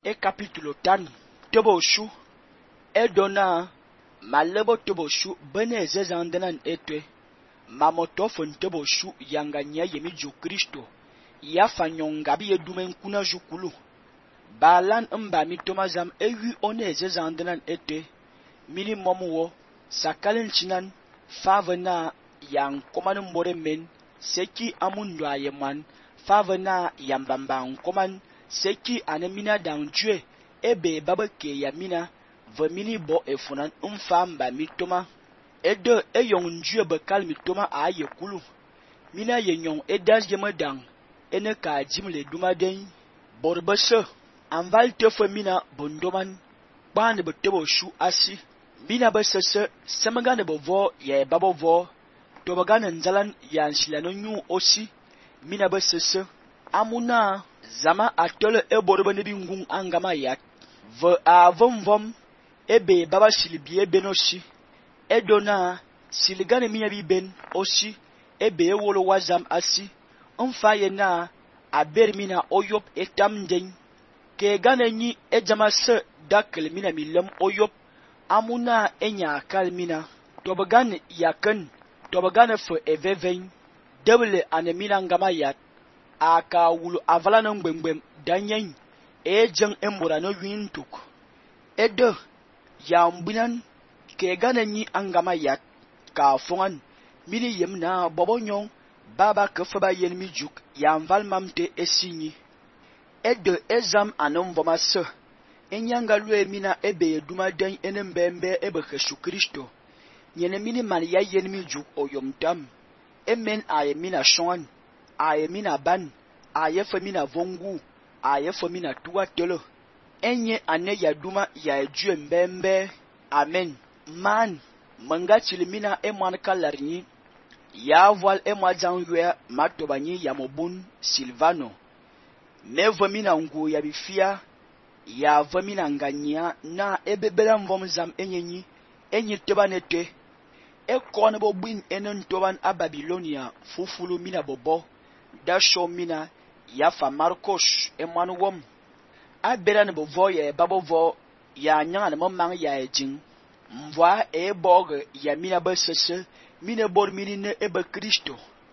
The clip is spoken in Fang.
e capítulo tan tobo shu e dona malebo tobo shu bene ezezandenan etwe mamotofon tobo shu yanganya yemi ju Kristo ya fanyongabi yedumen kuna jukulu balan mba mitomazam ewi one ezezandenan etwe mini momuwo sakalin chinan favena yang koman mbore men seki amundo ayeman favena yambamba koman seki anemina dangjue ebe babake yamina vemini bo efunan mfamba mitoma edo eyong njue bekal mitoma aye kulu mina yenyong edas yemedang ene ka jimle dumaden borbese anval tefo mina bondoman bane betebo shu asi mina besese semagane bovo ya babovo tobagane nzalan ya nsilano nyu osi mina besese amuna zama atole eborbe ne bingung angama yat ve avomvom ebe baba silibie benosi edona siligane mina biben osi ebe ewolo wazam asi mfaye na aber mina oyop etamden ke gane nyi ejamase dakel mina milem oyop amuna enya kalmina tobagan yaken tobagan fo eveven deble anemina ngama yat aka wulu avalana ngbemgbem danyen ejeng embora no wintuk edo ya mbinan ke gane nyi angama yat ka fongan mini yemna bobonyon baba kefaba yenmi juk ya mval mamte esinyi edo ezam anomvomase enyanga lue mina ebe duma den enembembe ebe Jesu Kristo nyene mini man ya yenmi juk oyomtam emen aye mina shongan aye mina ban aye femina vongu aye femina tuwa telo enye ane ya duma ya ejue mbembe amen man manga chilimina emwan kalarni ya voile emwa janwe matobanyi ya mobun Silvano me vemina ngu ya bifia ya vemina nganya na ebebela mvomzam enyi tebanete ekone bobwin enen toban a Babilonia fufulu mina bobo da show mina ya fa Marcos emwan wom abera ne bovo ya babovo ya nyanga ne momang ya ejin mvwa ebog ya mina besese mine bor mini ne ebe Kristo